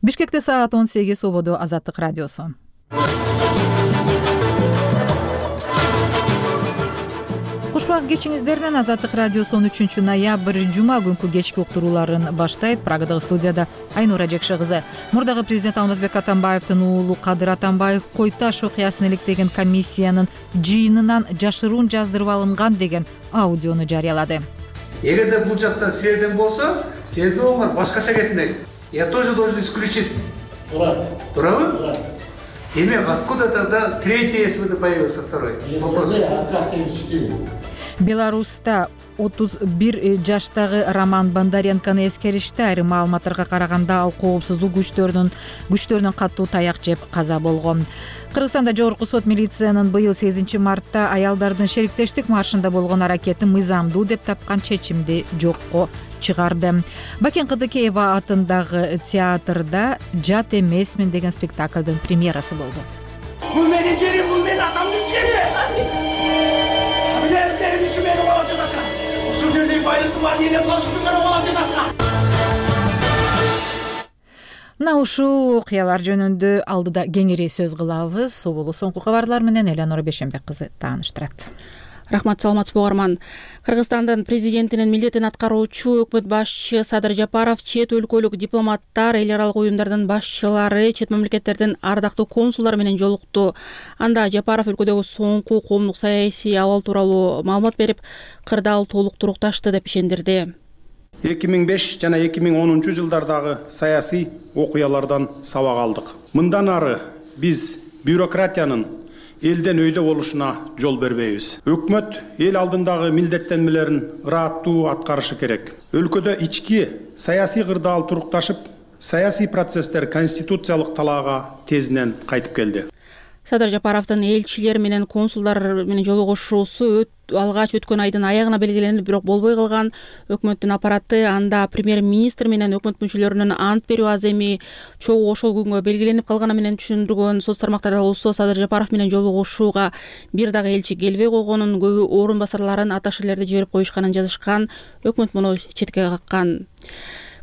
Бишкекте саат 18 убоду Азаттык радиосу. Куш убак кечиңиздер менен Азаттык радиосу 13 ноябрь жума күнкү кечки уктурууларын баштайт. Прагадагы студияда Айнура Жекше кызы. Мурдагы президент Алмазбек Атамбаевдин уулу Кадыр Атамбаев Кой Таш окуясын иликтеген комиссиянын жыйынынан жашыруун жаздырып алынган деген аудиону жарыялады. Эгерде бул жактан серден болсо, серден оңор башкача кетмек. Я тоже должен исключить. Турабы? Демек, откуда тогда третий СВД появился, второй? Беларуста 31 жаштагы Роман Бондаренкону эскеришти. Айрым маалыматтарга караганда ал коопсуздук күчтөрүнүн катуу таяк жеп каза болгон. Кыргызстанда Жогорку сот милициянын быйыл 8 мартта аялдардын шериктештик маршында болгон аракетин мыйзамдуу деп тапкан чечимди жокко чыгарды. Бакен Кыдыкеева атындагы театрда «Жат эмесмин» деген спектаклдын премьерасы болду. Бул менин жерим, бул менин атамдын жери. Билесиңер, ушу менин болуп жатасың. Ушул жердеги байлыктын баарын элеп калышып менин болуп жатасың. Мына ушул окуялар жөнүндө алдыда кеңири сөз кылабыз. Соболу соңку кабарлар менен Элеонора Бешенбек кызы тааныштырат. Рахмат, саламатсызбы угарман. Кыргызстандын президентинин милдетин аткаруучу өкмөт башчы Садыр Жапаров чет өлкөлүк дипломаттар, эл аралык уюмдардын башчылары, чет мамлекеттердин ардактуу консулдары менен жолукту. Анда Жапаров өлкөдөгү соңку коомдук саясий абал тууралуу маалымат берип, кырдаал толук турукташты деп ишендирди. 2005 жана 2010 жылдардагы саясий окуялардан сабак алдык. Мындан ары биз бюрократиянын элден өйдө болушуна жол бербейбиз. Өкмөт эл алдындагы милдеттенмелерин ыраттуу аткарышы керек. Өлкөдө ички саясий кырдаал турукташып, саясий процесстер конституциялык талаага тезинен кайтып келди. Садыр Жапаровдун элчилер менен консулдар менен жолугушуусу алгач өткөн айдын аягына белгиленип, бирок болбой калган. Өкмөттүн аппараты анда премьер-министр менен өкмөт мүчөлөрүнүн ант берүү аземи чогуу ошол күнгө белгиленип калганы менен түшүндүргөн. Соц тармактарда болсо Садыр Жапаров менен жолугушууга бир дагы элчи келбей койгонун, көбү орун басарларын аташерлерди жиберип коюшканын жазышкан. Өкмөт муну четке каккан.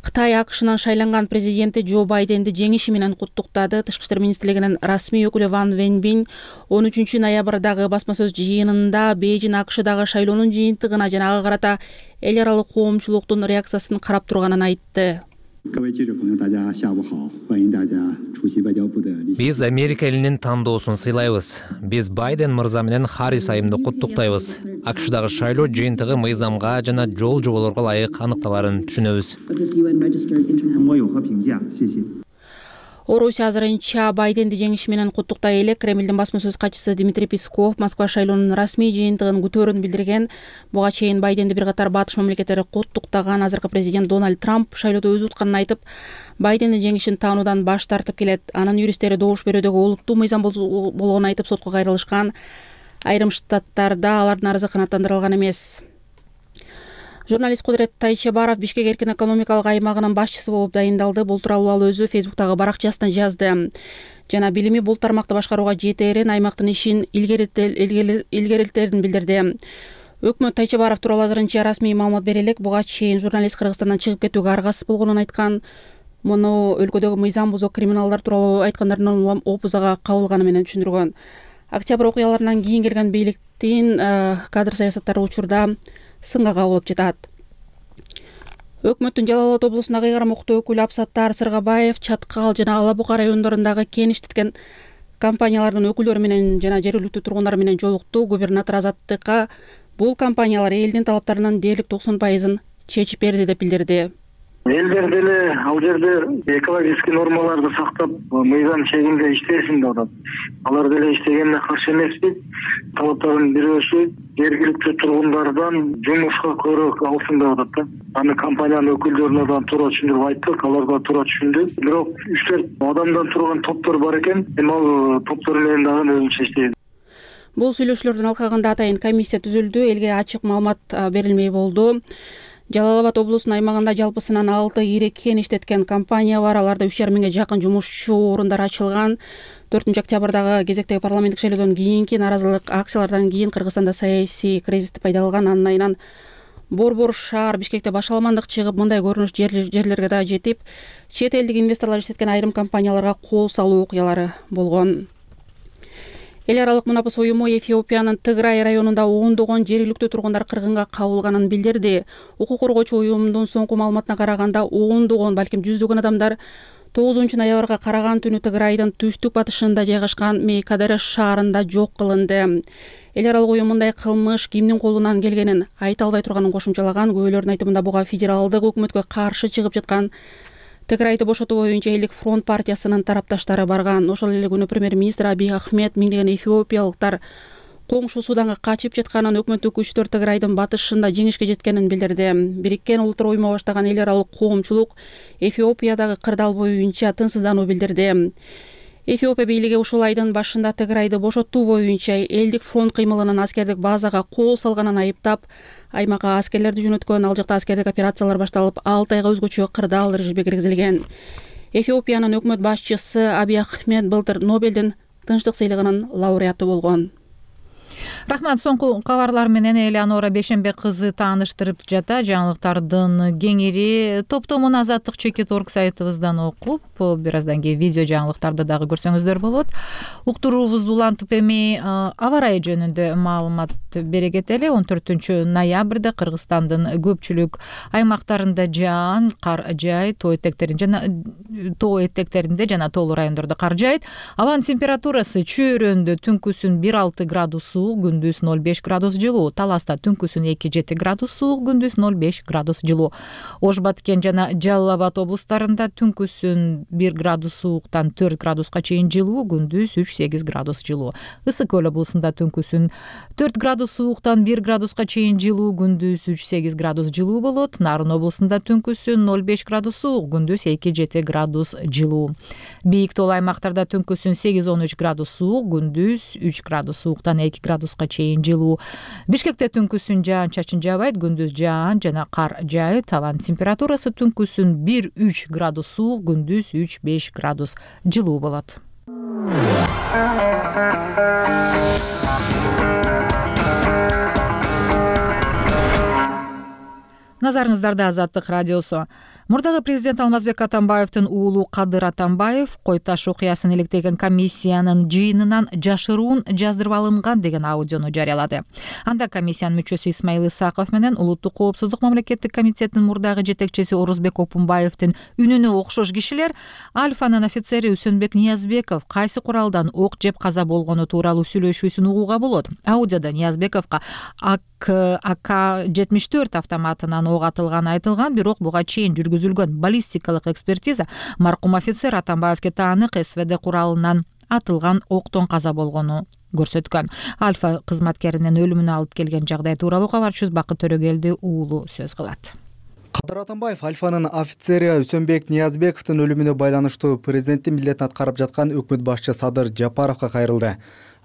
Кытай АКШнын шайланган президенти Джо Байденди жеңиши менен куттуктады. Тышкы иштер министрлигинин расмий өкүлү Ван Венбин 13 ноябрдагы басма сөз жыйынында Бейжин АКШдагы шайлоонун жыйынтыгына жана ага карата эл аралык коомчулуктун реакциясын карап турганын айтты. Биз Америка элинин тандоосун сыйлайбыз. Биз Байден мырза менен Харрис айымды куттуктайбыз. АКШдагы шайлоо жыйынтыгы мыйзамга жана жол жоболорго ылайык аныкталарын түшүнөбүз. Орусия азырынча Байденди жеңиши менен куттуктай элек. Кремлдин басма сөз катчысы Дмитрий Песков Москва шайлоонун расмий жыйынтыгын күтөөрүн билдирген. Буга чейин Байденди бир катар батыш мамлекеттери куттуктаган. Азыркы президент Дональд Трамп шайлоодо өз утканын айтып, Байдендин жеңишин таануудан баш тартып келет. Анын юристтери добуш берүүдөгү олуттуу мыйзам болгонун айтып сотко кайрылышкан. Айрым штаттарда алардын арызы канааттандырылган эмес. Журналист Кудурет Тайчебаров Бишкек эркин экономикалык аймагынын башчысы болуп дайындалды. Бул тууралуу ал өзү Фейсбуктагы баракчасына жазды. Жана билими бул тармакты башкарууга жетээрин, аймактын ишин илгерилтерин билдирди. Өкмөт Тайчебаров тууралуу азырынча расмий маалымат бере элек. Буга чейин журналист Кыргызстандан чыгып кетүүгө аргасыз болгонун айткан. Муну өлкөдөгү мыйзам бузук криминалдар тууралуу айткандардын улам опузага кабылганы менен түшүндүргөн. Октябрь окуяларынан кийин келген бийликтин кадр саясаттары учурда сынга кабылып жатат. Өкмөттүн Жалал Абад облусундагы ыйгарым укуктуу өкүлү Апсаттар Сыргабаев Чаткал жана Ала Бука райондорундагы кен иштеткен компаниялардын өкүлдөрү менен жана жергиликтүү тургундар менен жолукту. Губернатор Азаттыкка бул компаниялар элдин талаптарынын дээрлик 90% чечип берди деп билдирди. Элдер деле ал жерде экологический нормаларды сактап, мыйзам чегинде иштесин деп атат. Алар деле иштегенине каршы эмеспиз. Талаптарын бирөөсү жергиликтүү тургундардан жумушка көрөк алсын деп атат да. Аны компаниянын өкүлдөрүнө да туура түшүндүрүп айттык, алар да туура түшүндү. Бирок 3-4 адамдан турган топтор бар экен. Ал топтор менен дагы өзүнчө иштейбиз. Бул сүйлөшүүлөрдүн алкагында атайын комиссия түзүлдү. Элге ачык маалымат берилмей болду. Жалал Абад облусунун аймагында жалпысынан 6 ири кен иштеткен компания бар. Аларда 3,5 миңге жакын жумушчу орундар ачылган. 4 октябрдагы кезектеги парламенттик шайлоодон кийинки нааразылык акциялардан кийин Кыргызстанда саясий кризис пайда болгон. Андан борбор шаар Бишкекте башаламандык чыгып, мындай көрүнүш жерлерге да жетип, чет элдик инвесторлор иштеткен айрым компанияларга кол салуу окуялары болгон. Эл аралык мунапыс уюму Эфиопиянын Тыграй районунда ондогон жергиликтүү тургундар кыргынга кабылганын билдирди. Укук коргоочу уюмдун соңку маалыматына караганда, ондогон, балким жүздөгөн адамдар 9-ноябрга караган түнү Тыграйдын түштүк батышында жайгашкан Мейкадere шаарында жок кылынды. Эл аралык уюм мындай кылмыш кимдин колунан келгенин айта албай турганын кошумчалаган. Күбөлөрдүн айтымында буга федералдык өкмөткө каршы чыгып жаткан Тыграйды бошотуу боюнча Элдик фронт партиясынын тарапташтары барган. Ошол эле күнү премьер-министр Абий Ахмед миңдеген эфиопиялыктар коңшу Суданга качып жатканын, өкмөттүк күчтөр Тыграйдын батышында жеңишке жеткенин билдирди. Бириккен Улуттар уюму баштаган эл аралык коомчулук Эфиопиядагы кырдаал боюнча тынчсыздануу билдирди. Эфиопия бийлиги ушул айдын башында Тыграйды бошотуу боюнча Элдик фронт кыймылынын аскердик базага кол салганын айыптап, аймакка аскерлерди жөнөткөн. Ал жакта аскердик операциялар башталып, 6 айга өзгөчө кырдаал режими киргизилген. Эфиопиянын өкмөт башчысы Абий Ахмед былтыр Нобелдин тынчтык сыйлыгынын лауреаты болгон. Рахмат. Соңку кабарлар менен Элеонора Бешенбек кызы тааныштырып жата. Жаңылыктардын кеңири топтомун Азаттык Чекит.org сайтыбыздан окуп, бир аздан кийин видео жаңылыктарды дагы көрсөңүздөр болот. Уктуруубузду улантып эми аба ырайы жөнүндө маалымат бере кетели. 14-ноябрда Кыргызстандын көпчүлүк аймактарында жаан, кар жаайт, тоо этектеринде жана тоолуу райондордо кар жаайт. Абанын температурасы чөйрөндө түнкүсүн 1-6 градус суук, күндүз 0,5 градус жылуу. Таласта түнкүсүн 2-7 градус суук, күндүз 0,5 градус жылуу. Ош Баткен жана Жалал Абад облустарында түнкүсүн 1 градус сууктан 4 градуска чейин жылуу, күндүз 3-8 градус жылуу. Ысык Көл облусунда түнкүсүн 4 градус сууктан 1 градуска чейин жылуу, күндүз 3-8 градус жылуу болот. Нарын облусунда түнкүсүн 0,5 градус суук, күндүз 2-7 градус жылуу. Бийик тоолуу аймактарда түнкүсүн 8-13 градус суук, күндүз 3 градус сууктан 2 градуска чейин жылуу. Бишкекте түнкүсүн жаан-чачын жаабайт, күндүз жаан жана кар жаайт. Абанын температурасы түнкүсүн 1-3 градус суук, күндүз 3-5 градус жылуу болот. Назарыңыздарда Азаттык радиосу. Мурдагы президент Алмазбек Атамбаевдин уулу Кадыр Атамбаев Кой Таш окуясын иликтеген комиссиянын жыйынынан жашыруун жаздырып алынган деген аудиону жарыялады. Анда комиссиянын мүчөсү Исмаил Исаков менен Улуттук коопсуздук мамлекеттик комитетинин мурдагы жетекчиси Орозбек Опунбаевдин үнүнө окшош кишилер Альфанын офицери Үсөнбек Ниязбеков кайсы куралдан ок жеп каза болгону тууралуу сүйлөшүүсүн угууга болот. Аудиодо Ниязбековго АК-74 автоматынан ок атылганы айтылган, бирок буга чейин жүргүзүлгөн баллистикалык экспертиза маркум офицер Атамбаевге таанык СВД куралынан атылган октон каза болгону көрсөткөн. Альфа кызматкеринин өлүмүнө алып келген жагдай тууралуу кабарчыбыз Бакыт Төрөгелди уулу сөз кылат. Кадыр Атамбаев Альфанын офицери Үсөнбек Ниязбековдун өлүмүнө байланыштуу президенттин милдетин аткарып жаткан өкмөт башчы Садыр Жапаровго кайрылды.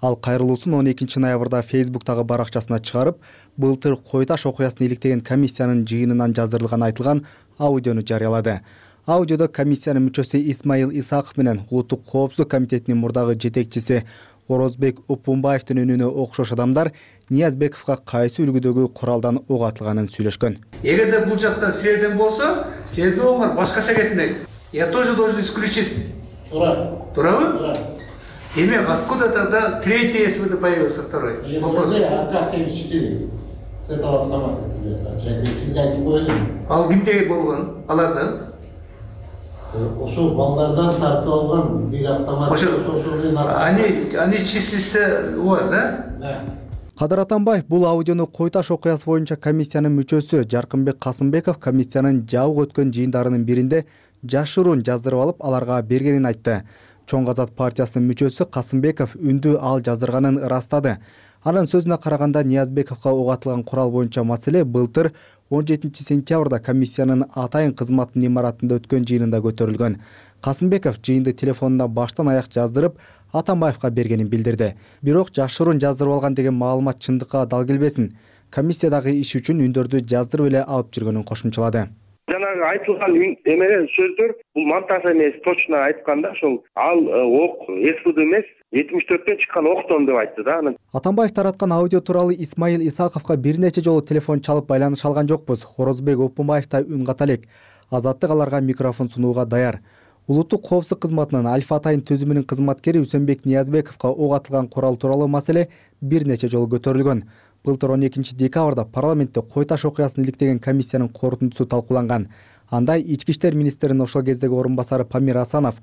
Ал кайрылуусун 12-ноябрда Фейсбуктагы баракчасына чыгарып, былтыр Кой Таш окуясын иликтеген комиссиянын жыйынынан жаздырылган айтылган аудиону жарыялады. Аудиодо комиссиянын мүчөсү Исмаил Исаков менен Улуттук коопсуздук комитетинин мурдагы жетекчиси Орозбек Опунбаевдин үнүнө окшош адамдар Ниязбековго кайсы үлгүдөгү куралдан ок атылганын сүйлөшкөн. Эгерде бул жакта силерден болсо, силердин оңор башкача кетмек. Я тоже должен исключить. Турабы? Демек, откуда тогда третий СВД появился, второй? Вопрос. АК-74 с этого автомата стреляет. Сизге айтып коелу. Ал кимде болгон? Алардан? Ошол балдардан тартып алган бир автомат. Они числятся у вас, да? Да. Кадыр Атамбаев бул аудиону Кой Таш окуясы боюнча комиссиянын мүчөсү Жаркынбек Касымбеков комиссиянын жабык өткөн жыйындарынын биринде жашыруун жаздырып алып, аларга бергенин айтты. Чоң Азат партиясынын мүчөсү Касымбеков үндү ал жаздырганын ырастады. Анын сөзүнө караганда Ниязбековго ок атылган курал боюнча маселе былтыр 17-сентябрда комиссиянын атайын кызматтын имаратында өткөн жыйынында көтөрүлгөн. Касымбеков жыйынды телефонуна баштан аяк жаздырып, Атамбаевга бергенин билдирди. Бирок жашыруун жаздырып алган деген маалымат чындыкка дал келбесин. Комиссиядагы иш үчүн үндөрдү жаздырып эле алып жүргөнүн кошумчалады. Жанагы айтылган эмелер сөздөр бул монтаж эмес, точно айтканда ошол ал ок СВД эмес 74-төн чыккан октон деп айтты да. Атамбаев тараткан аудио тууралуу Исмаил Исаковго бир нече жолу телефон чалып байланыша алган жокпуз. Орозбек Опунбаев да үн ката элек. Азаттык аларга микрофон сунууга даяр. Улуттук коопсуздук кызматынын Альфа Атайын түзүмүнүн кызматкери Үсөнбек Ниязбековго ок атылган курал тууралуу маселе бир нече жолу көтөрүлгөн. Былтыр 12 декабрда парламентте Кой Таш окуясын иликтеген комиссиянын корутундусу талкууланган. Анда Ички иштер министринин ошол кездеги орун басары Памир Асанов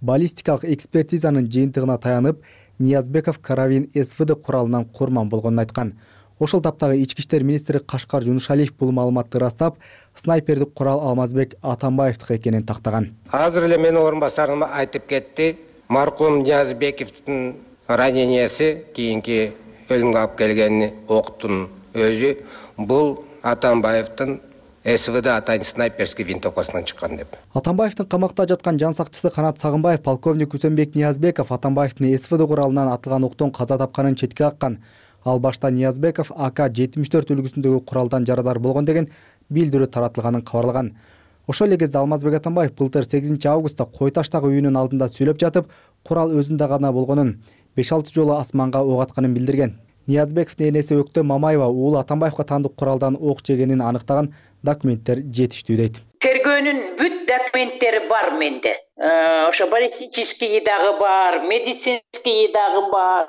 баллистикалык экспертизанын жыйынтыгына таянып, Ниязбеков карабин СВД куралынан курман болгонун айткан. Ошол таптагы Ички иштер министри Кашкар Жунушалиев бул маалыматты ырастап, снайпердик курал Алмазбек Атамбаевдики экенин тактаган. Азыр эле менин орун басарым айтып кетти. Маркум Ниязбековдун ранениясы кийинки өлүмгө алып келген октун өзү бул Атамбаевдин СВД Атайын снайперский винтовкасынан чыккан деп. Атамбаевдин камакта жаткан жан сакчысы Канат Сагынбаев полковник Үсөнбек Ниязбеков Атамбаевдин СВД куралынан атылган октон каза тапканын четке каккан. Ал башта Ниязбеков АК-74 үлгүсүндөгү куралдан жарадар болгон деген билдирүү таратылганын кабарлаган. Ошол эле кезде Алмазбек Атамбаев былтыр 8 августта Кой Таштагы үйүнүн алдында сүйлөп жатып, курал өзүндө гана болгонун, 5-6 жолу асманга ок атканын билдирген. Ниязбековдун энеси Өктө Мамаева уулу Атамбаевга таандык куралдан ок жегенин аныктаган документтер жетиштүү дейт. Тергөөнүн бүт документтери бар менде. Ошо баллистический дагы бар, медицинский дагы бар.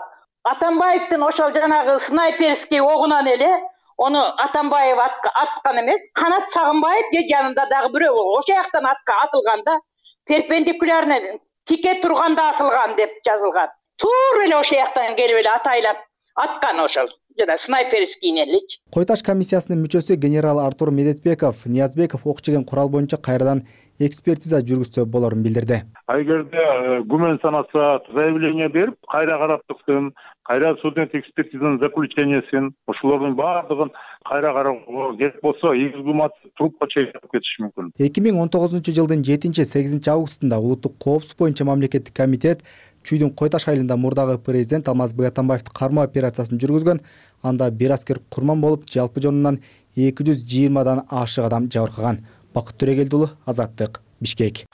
Атамбаевдин ошол жанагы снайперский огунан эле ону Атамбаев аткан эмес, Канат Сагынбаев же жанында дагы бирөө ошол жактан атылганда перпендикулярно тике турганда атылган деп жазылган. Туура эле ошол жактан келип эле атайлап аткан ошол жана снайперский элечи. Кой Таш комиссиясынын мүчөсү генерал Артур Медетбеков Ниязбеков ок жеген курал боюнча кайрадан экспертиза жүргүзсө болорун билдирди. Эгерде күмөн санаса заявление берип, кайра карап чыксын, кайра судебный экспертизанын заключениесин, ошолордун баардыгын кайра кароого керек болсо, изгумат трупка чейин кетиши мүмкүн. 2019-жылдын 7-8 августунда улуттук коопсуздук боюнча мамлекеттик комитет Чүйдүн Кой Таш айылында мурдагы президент Алмазбек Атамбаевди кармоо операциясын жүргүзгөн. Анда бир аскер курман болуп, жалпы жонунан 220дан ашык адам жабыркаган. Бакыт Төрөгелдиулу, Азаттык, Бишкек.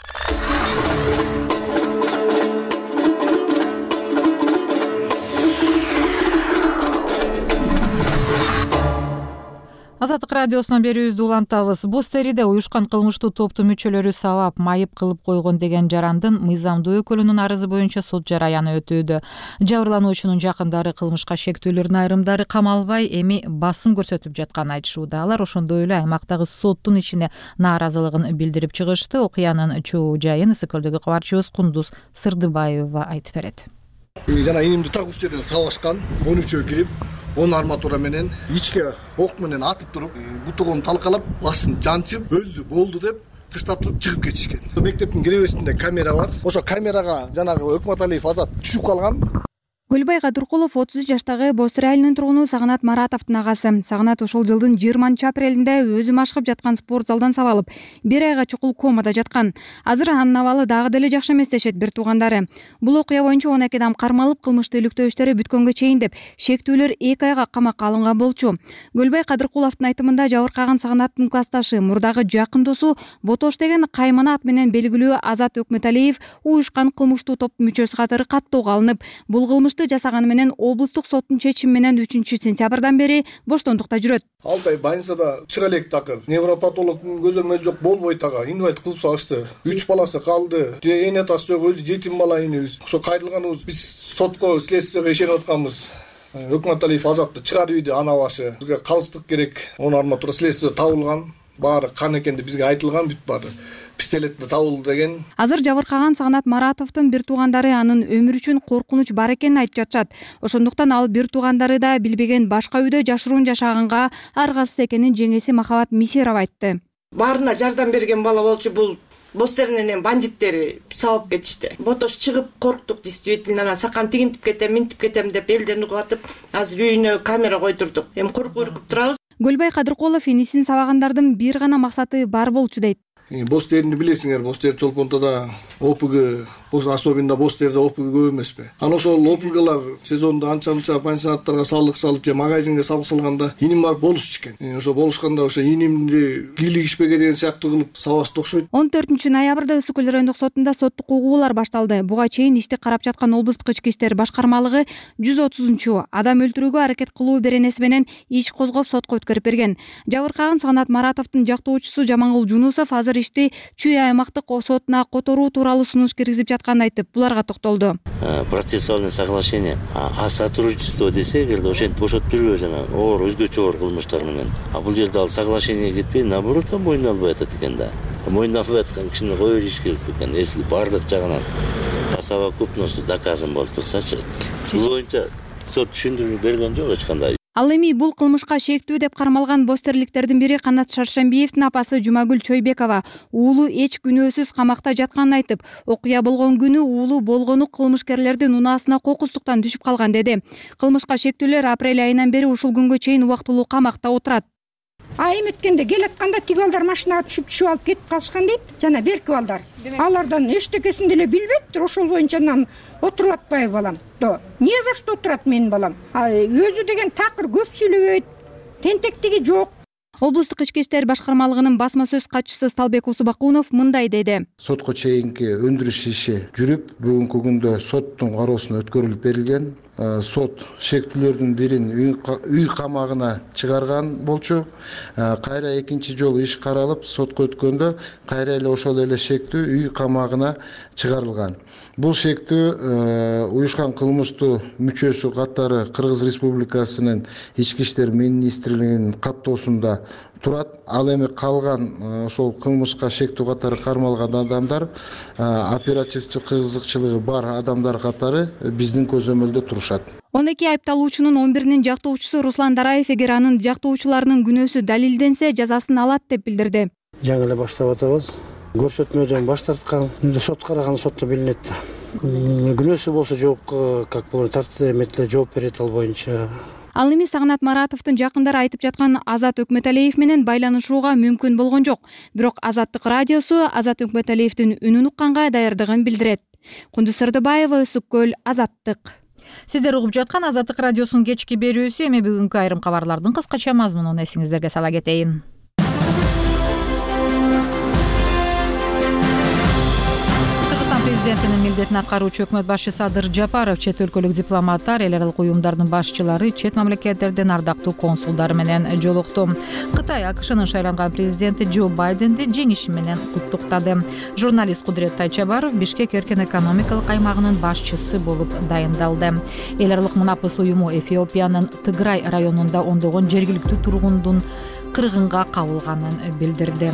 Азаттык радиосунан берүүбүздү улантабыз. Боз териде уюшкан кылмыштуу топтун мүчөлөрү сабап, майып кылып койгон деген жарандын мыйзамдуу өкүлүнүн арызы боюнча суд жараяны өтүүдө. Жабырлануучунун жакындары кылмышка шектүүлөрдүн айрымдары камалбай, эми басым көрсөтүп жатканын айтышууда. Алар ошондой эле аймактагы соттун ишине нааразылыгын билдирип чыгышты. Окуянын чоо жайын Ысыкөлдөгү кабарчыбыз Кундуз Сырдыбаева айтып берет. Жана инимди так уч жерден сабашкан, 13-өө кирип, 10 арматура менен ичке ок менен атып туруп, бутугун талкалап, башын жанчып, өлдү, болду деп тыштап туруп чыгып кетишкен. Мектептин киребесинде камера бар. Ошо камерага жанагы Өкмөталиев Азат түшүп калган. Гүлбай Кадыркулов 30 жаштагы Боз Тери айылынын тургуну Сагынат Маратовдун агасы. Сагынат ошол жылдын 20 апрелинде өзү машыгып жаткан спорт залдан сабалып, 1 айга чукул комада жаткан. Азыр анын абалы дагы деле жакшы эмес дешет бир туугандары. Бул окуя боюнча 12 адам кармалып, кылмыштуу иликтөө иштери бүткөнгө чейин деп шектүүлөр 2 айга камакка алынган болчу. Гүлбай Кадыркуловдун айтымында жабыркаган Сагынаттын классташы, мурдагы жакын досу Ботош деген каймана ат менен белгилүү Азат Өкмөталиев уюшкан кылмыштуу топтун мүчөсү катары каттоого алынып, бул кылмышты жасаганы менен облустук соттун чечими менен 3-сентябрдан бери боштондукта жүрөт. Алтай больницада чыга элек такыр. Невропатологдун көзөмөлү жок, болбой тага, инвалид кылып салышты. 3 баласы калды. Эне атасы жок, өзү жетим бала энебиз. Ошо кайрылганыбыз биз сотко, следствияга ишенип атканбыз. Өкмөталиев Азатты чыгарып үйдү ана башы. Бизге калыстык керек. 10 арматура следствия табылган. Баары кан экенди бизге айтылган, бүт баары. Пистолетте табылды деген. Азыр жабыркаган Сагынат Маратовдун бир туугандары анын өмүрү үчүн коркунуч бар экенин айтып жатышат. Ошондуктан ал бир туугандары да билбеген башка үйдө жашыруун жашаганга аргасыз экенин жеңеси Махабат Мисирова айтты. Баарына жардам берген бала болчу, бул Боз Теринин бандиттери сабап кетишти. Ботош чыгып корктук действительно, анан сакам тигинтип кетем, минтип кетем деп элден угатып, азыр үйүнө камера койдурдук. Эми коркуп үркүп турабыз. Гүлбай Кадыркулов энисин сабагандардын бир гана максаты бар болчу дейт. Боз терини билесиңер, боз тери Чолпонтода ОПГ, особенно боз терде ОПГ көп эмеспи. Анан ошол ОПГлар сезондо анча пансионаттарга салык салып же магазинге салык салганда иним барып болушчу экен. Ошо болушканда ошо инимди кийлигишпеге деген сыяктуу кылып сабашты окшойт. 14 ноябрда Ысык Көл райондук сотунда соттук угуулар башталды. Буга чейин ишти карап жаткан облустук ички иштер башкармалыгы 130 адам өлтүрүүгө аракет кылуу беренеси менен иш козгоп сотко өткөрүп берген. Жабыркаган Сагнат Маратовдун жактоочусу Жамангул Жунусов азыр ишти Чүй аймактык сотуна которуу тууралуу сунуш киргизип жатканын айтып, буларга токтолду. Процессуальное соглашение, а сотрудничество десек, ошентип бошотуп жүрбөйбүз жана оор өзгөчө оор кылмыштар менен. А бул жерде ал соглашение кетпей, наоборот, мойнуна албай атат экен да. Мойнуна албай аткан кишини кое бериш керек экен. Если бардык жагынан по совокупности доказан болуп турсачы. Бул боюнча сот түшүндүрүү берген жок эч кандай. Ал эми бул кылмышка шектүү деп кармалган бостерликтердин бири Канат Шаршембиевдин апасы Жумагүл Чойбекова уулу эч күнөөсүз камакта жатканын айтып, окуя болгон күнү уулу болгону кылмышкерлердин унаасына кокустуктан түшүп калган деди. Кылмышка шектүүлөр апрель айынан бери ушул күнгө чейин убактылуу камакта отурат. Айым өткөндө келатканда тиги балдар машинага түшүп алып кетип калышкан дейт. Жана берки балдар. Алардан эчтекесин деле билбейт, ошол боюнча отуруп атпайбы балам. Не за что отурат менин балам? Өзү деген такыр көп сүйлөбөйт, тентектиги жок. Облустук ички иштер башкармалыгынын басма сөз катчысы Салбек Усубакунов мындай деди. Сотко чейинки өндүрүш иши жүрүп, бүгүнкү күндө соттун кароосуна өткөрүлүп берилген. Сот шектүүлөрдүн бирин үй камагына чыгарган болчу. Кайра экинчи жолу иш каралып, сотко өткөндө кайра эле ошол эле шектүү үй камагына чыгарылган. Бул шектүү уюшкан кылмыштуу мүчөсү катары Кыргыз Республикасынын ички иштер министрлигинин каттоосунда турат. Ал эми калган ошол кылмышка шектүү катары кармалган адамдар оперативдик кызыкчылыгы бар адамдар катары биздин көзөмөлдө турушат. 12 айыпталуучунун 11-нин жактоочусу Руслан Дараев эгер анын жактоочуларынын күнөөсү далилденсе, жазасын алат деп билдирди. Жаңы эле баштап атабыз. Көрсөтмөдөн баш тарткан, сот караган сотто билинет да. Күнөөсү болсо жоопко как болот, тартип жооп берет ал боюнча. Ал эми Сагнат Маратовдун жакындары айтып жаткан Азат Өкмөталиев менен байланышууга мүмкүн болгон жок. Бирок Азаттык радиосу Азат Өкмөталиевдин үнүн укканга даярдыгын билдирет. Кундуз Сырдыбаева, Ысык Көл, Азаттык. Сиздер угуп жаткан Азаттык радиосунун кечки берүүсү. Эми бүгүнкү айрым кабарлардын кыскача мазмунун эсиңиздерге сала кетейин. Президентинин милдетин аткаруучу өкмөт башчысы Адыр Жапаров чет өлкөлүк дипломаттар, эл аралык уюмдардын башчылары, чет мамлекеттердин ардактуу консулдары менен жолукту. Кытай АКШнын шайланган президенти Джо Байденди жеңиши менен куттуктады. Журналист Кудурет Тайчабаров Бишкек эркен экономикалык аймагынын башчысы болуп дайындалды. Эл аралык мунапыс уюму Эфиопиянын Тыграй районунда ондогон жергиликтүү тургундун кыргынга кабылганын билдирди.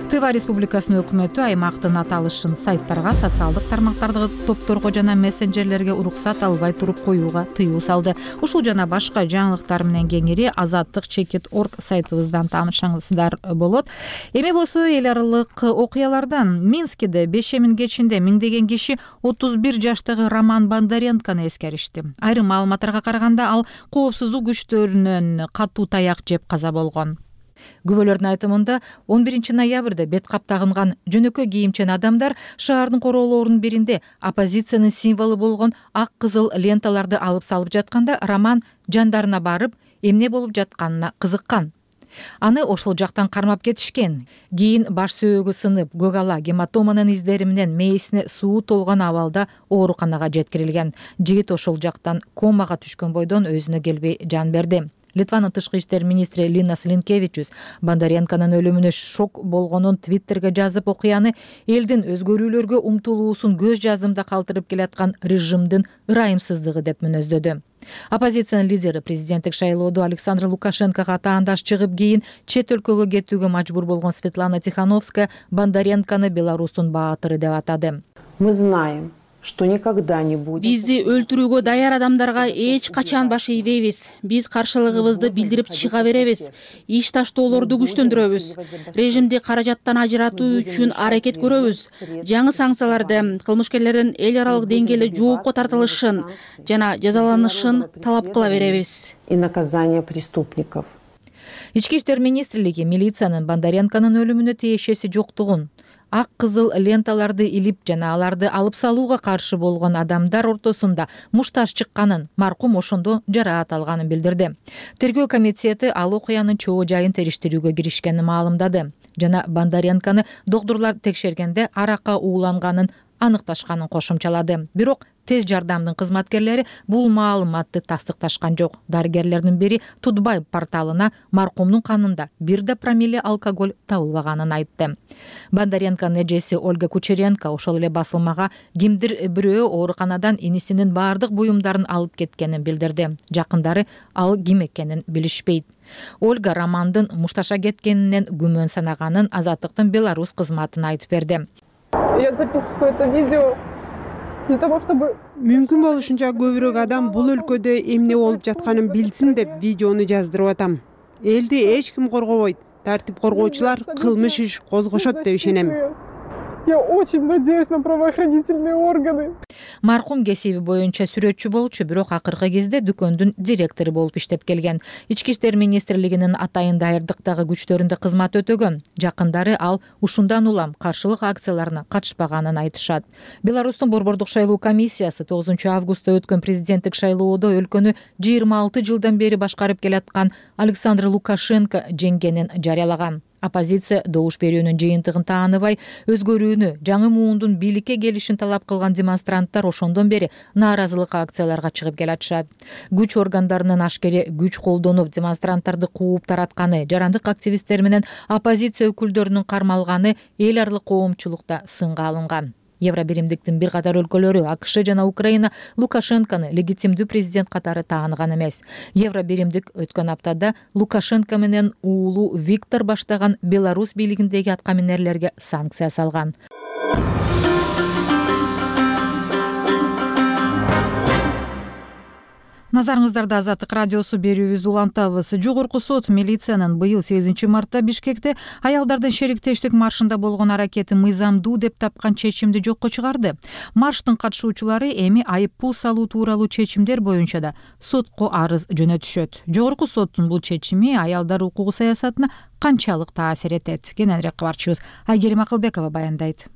Тыва Республикасынын өкмөтү аймактын аталышын сайттарга, социалдык тармактардагы топторго жана мессенджерлерге уруксат албай туруп коюуга тыюу салды. Ушул жана башка жаңылыктар менен кеңири azattik.org сайтыбыздан таанышсаңыздар болот. Эми болсо эл аралык окуялардан Минскиде Бешемин кечинде миңдеген киши 31 жаштагы Роман Бондаренкону эскеришти. Айрым маалыматтарга караганда ал коопсуздук күчтөрүнөн катуу таяк жеп каза болгон. Күбөлөрдүн айтымында 11 ноябрда бет кап тагынган жөнөкөй кийимчен адамдар шаардын короолорунун биринде оппозициянын символу болгон ак кызыл ленталарды алып салып жатканда Роман жандарына барып, эмне болуп жатканына кызыккан. Аны ошол жактан кармап кетишкен. Кийин баш сөөгү сынып, көк ала гематоманын издери менен мээсине суу толгон абалда ооруканага жеткирилген. Жигит ошол жактан комага түшкөн бойдон өзүнө келбей жан берди. Литванын тышкы иштер министри Линас Линкевичус Бондаренконун өлүмүнө шок болгонун Твиттерге жазып, окуяны элдин өзгөрүүлөргө умтулуусун көз жаздымда калтырып келаткан режимдин ырайымсыздыгы деп мүнөздөдү. Оппозициянын лидери президенттик шайлоодо Александр Лукашенкого таандаш чыгып, кийин чет өлкөгө кетүүгө мажбур болгон Светлана Тихановская Бондаренкону Беларустун баатыры деп атады. Мы знаем, что никогда не будет. Бизди өлтүрүүгө даяр адамдарга эч качан баш ийбейбиз. Биз каршылыгыбызды билдирип чыга беребиз. Иш таштоолорду күчтөндүрөбүз. Режимди каражаттан ажыратуу үчүн аракет көрөбүз. Жаңы санкцияларды, кылмышкерлердин эл аралык деңгээлде жоопко тартылышын жана жазаланышын талап кыла беребиз. И наказание преступников. Ички иштер министрлиги милициянын Бондаренконун өлүмүнө тиешеси жоктугун, ак кызыл ленталарды илип жана аларды алып салууга каршы болгон адамдар ортосунда мушташ чыкканын, маркум ошондо жараат алганын билдирди. Тергөө комитети ал окуянын чоо жайын териштирүүгө киришкенин маалымдады жана Бондаренканы доктурлар текшергенде аракка ууланганын аныкташканын кошумчалады. Бирок тез жардамдын кызматкерлери бул маалыматты тастыкташкан жок. Дарыгерлердин бири Тутбай порталына маркумдун канында 1 промилле алкоголь табылбаганын айтты. Бондаренканын эжеси Ольга Кучеренко ошол эле басылмага кимдир бирөө ооруканадан инисинин баардык буюмдарын алып кеткенин билдирди. Жакындары ал ким экенин билишпейт. Ольга Романдын мушташа кеткенинен күмөн санаганын Азаттыктын Беларусь кызматына айтып берди. Я записываю это видео для того, чтобы мүмкүн болушунча көбүрөөк адам бул өлкөдө эмне болуп жатканын билсин деп видеону жаздырып атам. Элди эч ким коргобойт. Тартип коргоочулар кылмыш иш козгошот деп ишенем. Я очень надеюсь на правоохранительные органы. Маркум кесиби боюнча сүрөтчү болчу, бирок акыркы кезде дүкөндүн директору болуп иштеп келген. Ички иштер министрлигинин атайын дайырдыктагы күчтөрүндө кызмат өтөгөн. Жакындары ал ушундан улам каршылык акцияларына катышпаганын айтышат. Беларустун борбордук шайлоо комиссиясы 9 августта өткөн президенттик шайлоодо өлкөнү 26 жылдан бери башкарып келаткан Александр Лукашенко жеңгенин жарыялаган. Оппозиция добуш берүүнүн жыйынтыгын тааныбай, өзгөрүүнү, жаңы муундун бийликке келишин талап кылган демонстранттар ошондон бери нааразылык акцияларга чыгып келатышат. Күч органдарынын ашкере күч колдонуп демонстранттарды кууп таратканы, жарандык активисттер менен оппозиция өкүлдөрүнүн кармалганы эл аралык коомчулукта сынга алынган. Евробиримдиктин бир катар өлкөлөрү АКШ жана Украина Лукашенкону легитимдүү президент катары тааныган эмес. Евробиримдик өткөн аптада Лукашенко менен уулу Виктор баштаган Беларусь бийлигиндеги аткаминерлерге санкция салган. Назарыңыздарда Азаттык радиосу берүүбүздү улантабыз. Жогорку сот милициянын быйыл 8 мартта Бишкекте аялдардын шериктештик маршында болгон аракети мыйзамдуу деп тапкан чечимди жокко чыгарды. Марштын катышуучулары эми айып пул салуу тууралуу чечимдер боюнча да сотко арыз жөнөтүшөт. Жогорку соттун бул чечими аялдар укугу саясатына канчалык таасир этет? Кененирээк кабарчыбыз Айгерим Акылбекова баяндайт.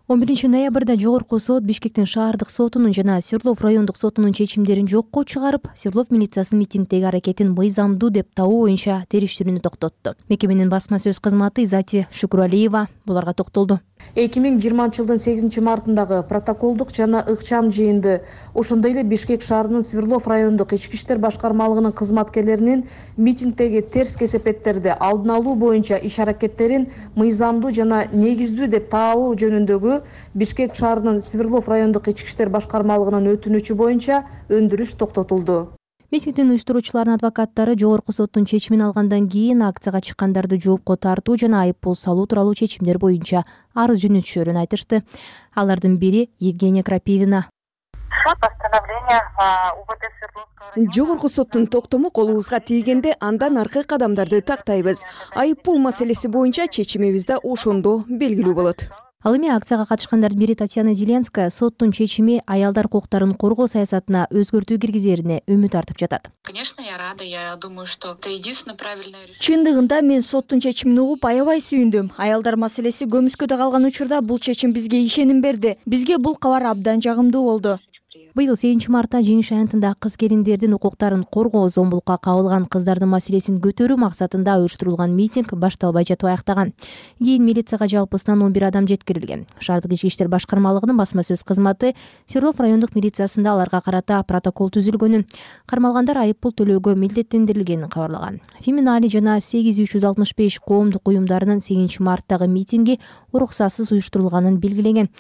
11 ноябрда Жогорку сот Бишкектин шаардык сотунун жана Свердлов райондук сотунун чечимдерин жокко чыгарып, Свердлов милициясынын митингдеги аракетин мыйзамдуу деп табуу боюнча териштирүүнү токтотту. Мекеменин басма сөз кызматы Изати Шукуралиева буларга токтолду. 2020 жылдын 8 мартындагы протоколдук жана ыкчам жыйынды, ошондой эле Бишкек шаарынын Свердлов райондук ички иштер башкармалыгынын кызматкерлеринин митингдеги терс кесепеттерди алдын алуу боюнча иш-аракеттерин мыйзамдуу жана негиздүү деп табуу жөнүндөгү Бишкек шаарынын Свердлов райондук ички иштер башкармалыгынын өтүнүчү боюнча өндүрүш токтотулду. Митингдин уюштуруучуларынын адвокаттары Жогорку соттун чечимин алгандан кийин акцияга чыккандарды жоопко тартуу жана айып пул салуу тууралуу чечимдер боюнча арыз жөнөтүшөрүн айтышты. Алардын бири Евгения Крапивина. Жогорку соттун токтому колубузга тийгенде андан аркы кадамдарды тактайбыз. Айып пул маселеси боюнча чечимибиз да ошондо белгилүү болот. Ал эми акцияга катышкандардын бири Татьяна Зеленская соттун чечими аялдар укуктарын коргоо саясатына өзгөртүү киргизерине үмүт артып жатат. Конечно, я рада. Я думаю, что это единственное правильное решение. Чындыгында мен соттун чечимин угуп аябай сүйүндүм. Аялдар маселеси көмүскөдө калган учурда бул чечим бизге ишеним берди. Бизге бул кабар абдан жагымдуу болду. Быйыл 8 мартта жеңиш аянтында кыз-келиндердин укуктарын коргоо, зомбулукка кабылган кыздардын маселесин көтөрүү максатында уюштурулган митинг башталбай жатып аяктаган. Кийин милицияга жалпысынан 11 адам жеткирилген. Шаардык ички иштер башкармалыгынын басма сөз кызматы Свердлов райондук милициясында аларга карата протокол түзүлгөнүн, кармалгандар айып пул төлөөгө милдеттендирилгенин кабарлаган. Феминали жана 8365 коомдук уюмдарынын 8 марттагы митинги уруксатсыз уюштурулганын белгилеген.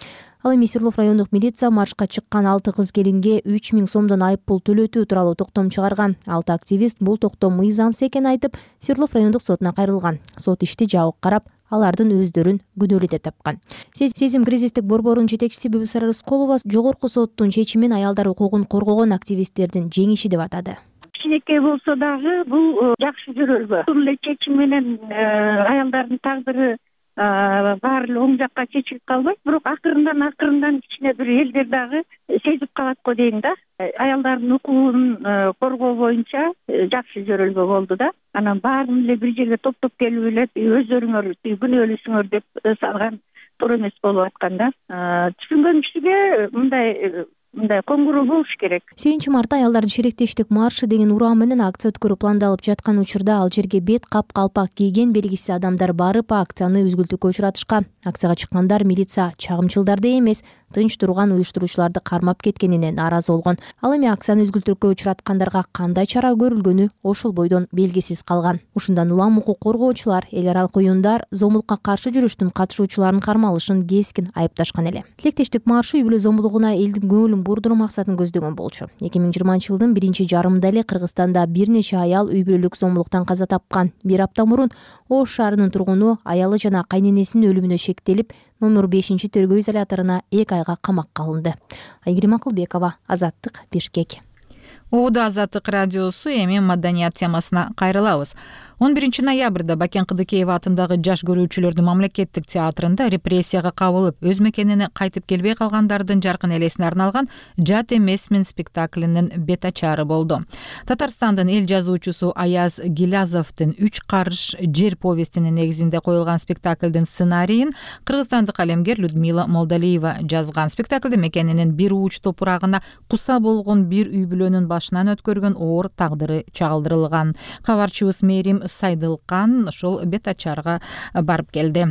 Ал эми Свердлов райондук милиция маршка чыккан 6 кыз-келинге 3000 сомдон айып пул төлөтүү тууралуу токтом чыгарган. 6 активист бул токтом мыйзамсыз экенин айтып, Свердлов райондук сотуна кайрылган. Сот ишти жабык карап, алардын өздөрүн күнөөлүү деп тапкан. Сезим кризистик борборунун жетекчиси Бүбүсара Рысколова Жогорку соттун чечимин аялдар укугун коргогон активисттердин жеңиши деп атады. Кичинекей болсо дагы бул жакшы жөрөлбө. Бул эле чечим менен аялдардын тагдыры баары эле оң жакка чечилип калбайт, бирок акырындан кичине бир элдер дагы сезип калат го дейм да. Аялдардын укугун коргоо боюнча жакшы жөрөлбө болду да. Анан баарын эле бир жерге топтоп келип эле өздөрүңөр күнөөлүүсүңөр деп салган туура эмес болуп аткан да. Түшүнгөн кишиге мындай коңгуроо болуш керек. 8-мартта аялдардын шеректештик маршы деген уран менен акция өткөрүү пландалып жаткан учурда ал жерге бет калпак кийген белгисиз адамдар барып акцияны үзгүлтүүгө учуратышкан. Акцияга чыккандар милиция чагымчылдарды эмес, тынч турган уюштуруучуларды кармап кеткенине нааразы болгон. Ал эми акцияны үзгүлтүүгө учураткандарга кандай чара көрүлгөнү ошол бойдон белгисиз калган. Ушундан улам укук коргоочулар, эл аралык уюмдар зомбулукка каршы жүрүштүн катышуучуларын кармалышын кескин айыпташкан эле. Тилектештик маршы үй бүлө зомбулугуна элдин көңүлүн бурдуруу максатын көздөгөн болчу. 2020-жылдын 1-жарымында эле Кыргызстанда бир нече аял үй бүлөлүк зомбулуктан каза тапкан. Бир апта мурун Ош шаарынын тургуну аялы жана кайненесинин өлүмүнө шектелип, номер 5-тергөө изоляторуна 2 айга камакка алынды. Айгерим Акылбекова, Азаттык, Бишкек. Оодо Азаттык радиосу, эми маданият темасына кайрылабыз. 11-ноябрда Бакен Кыдыкеев атындагы жаш көрүүчүлөрдүн мамлекеттик театрында репрессияга кабылып, өз мекенине кайтып келбей калгандардын жаркын элесине арналган «Жат эмесмин» спектаклинин бет ачары болду. Татарстандын эл жазуучусу Аяз Гилязовдун 3 карыш жер повестинин негизинде коюлган спектаклдин сценарийин кыргызстандык калемгер Людмила Молдалиева жазган. Спектаклде мекенинин бир уч топурагына куса болгон бир үй бүлөнүн башынан өткөргөн оор тагдыры чагылдырылган. Кабарчыбыз Мерим Сайдылкан ошол бет ачарга барып келди.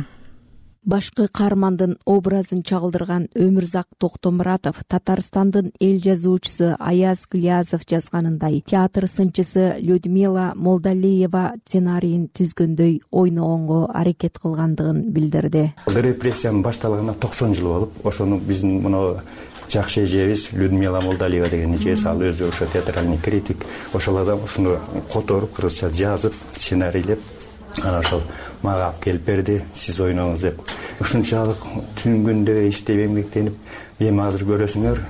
Башкы каармандын образын чагылдырган Өмүрзак Токтомуратов Татарстандын эл жазуучусу Аяз Гилязов жазганындай театр сынчысы Людмила Молдалиева сценарийин түзгөндөй ойногонго аракет кылгандыгын билдирди. Репрессиянын башталганына 90 жыл болуп, ошону биздин мына жакшы эжебиз Людмила Молдалиева деген эжебиз, ал өзү ошо театральный критик, ошол адам ушуну которуп, кыргызча жазып, сценарийлеп, анан ошол мага алып келип берди, сиз ойноңуз деп. Ушунчалык түн күндө иштеп эмгектенип, эми азыр көрөсүңөр,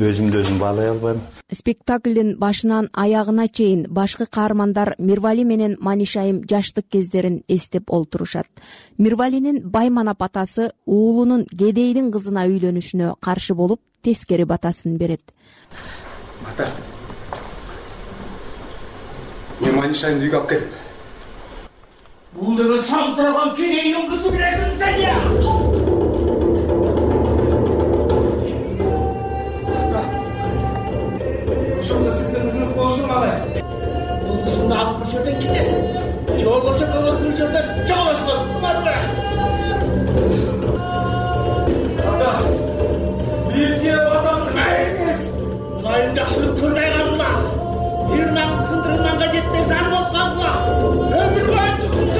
өзүмдү өзүм баалай албайм. Спектаклдин башынан аягына чейин башкы каармандар Мирвали менен Манишайым жаштык кездерин эстеп олтурушат. Мирвалинин байманап атасы уулунун кедейдин кызына үйлөнүшүнө каршы болуп, тескери батасын берет. Ата, мен Манишайымды үйгө алып кел. Бул деген салтыраган кедейдин кызы билесиң сен я? Ошондо сиздин кызыңыз болушу калай? Бул кызыңды алып бир жерден кетесиң. Же болбосо көңүл бир жерден чоголосуңар. Барбы? Ата, бизге батамыз эмес. Кудайым жакшылык көрбөй калгыла. Бир наң тындырганга жетпей зар болуп калгыла. Өмүр бою түзүп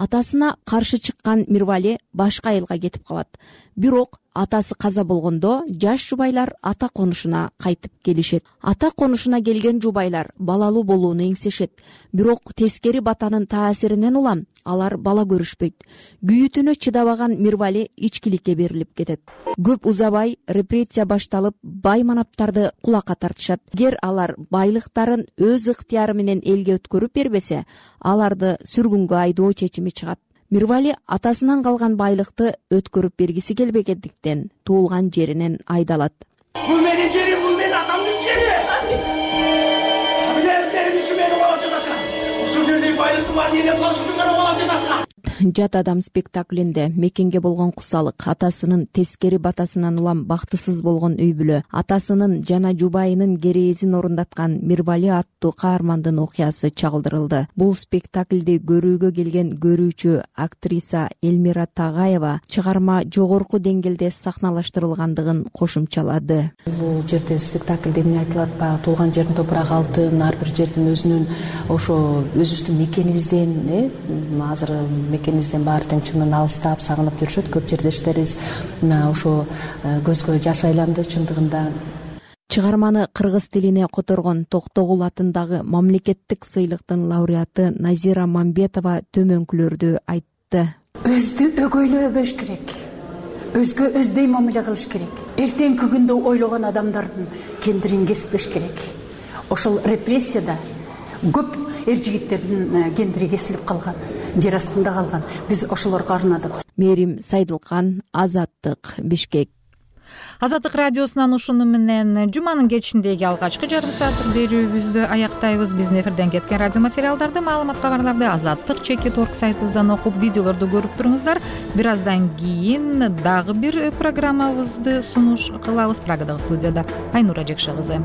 Атасына каршы чыккан Мирвали башка айылга кетип калат. Бирок атасы каза болгондо жаш жубайлар ата конушуна кайтып келишет. Ата конушуна келген жубайлар балалуу болууну эңсешет. Бирок тескери батанын таасиринен улам алар бала көрүшпөйт. Күйүтүнө чыдабаган Мирвали ичкиликке берилип кетет. Көп узабай репрессия башталып, байманаптарды кулакка тартышат. Эгер алар байлыктарын өз ыктыяры менен элге өткөрүп бербесе, аларды сүргүнгө айдоо чечими чыгат. Мирвали атасынан калган байлыкты өткөрүп бергиси келбегендиктен туулган жеринен айдалат. Бул менин жерим, бул менин атамдын жери. Билесиңер, иши мени алып жатасың. Ушул жердеги байлыктын баарын ээлеп калыш үчүн мени алып жатасың. Жат адам спектаклинде мекенге болгон кусалык, атасынын тескери батасынан улам бактысыз болгон үй бүлө, атасынын жана жубайынын кереезин орундаткан Мирвали аттуу каармандын окуясы чагылдырылды. Бул спектаклди көрүүгө келген көрүүчү актриса Элмира Тагаева чыгарма жогорку деңгээлде сахналаштырылгандыгын кошумчалады. Бул жерде спектаклде эмне айтылат? Баягы туулган жердин топурагы алтын, ар бир жердин өзүнүн ошо өзүбүздүн мекенибизден, азыр мекенибизден баары тең чынын алыстап, сагынып жүрүшөт. Көп жердештерибиз ошо көзгө жаш айланды чындыгында. Чыгарманы кыргыз тилине которгон Токтогул атындагы мамлекеттик сыйлыктын лауреаты Назира Мамбетова төмөнкүлөрдү айтты. Өздү өгөйлөбөш керек. Өзгө өздөй мамиле кылыш керек. Эртеңки күндө ойлогон адамдардын кендирин кеспеш керек. Ошол репрессияда көп эр жигиттердин кендири кесилип калган, жер астында калган. Биз ошолорго арнадык. Мерим Сайдылкан, Азаттык, Бишкек. Азаттык радиосунан ушуну менен жуманын кечиндеги алгачкы жарым сааттык берүүбүздү аяктайбыз. Биздин эфирден кеткен радио материалдарды, маалымат кабарларды азаттык.org сайтыбыздан окуп, видеолорду көрүп туруңуздар. Бир аздан кийин дагы бир программабызды сунуш кылабыз. Прагадагы студияда Айнура Жекше кызы.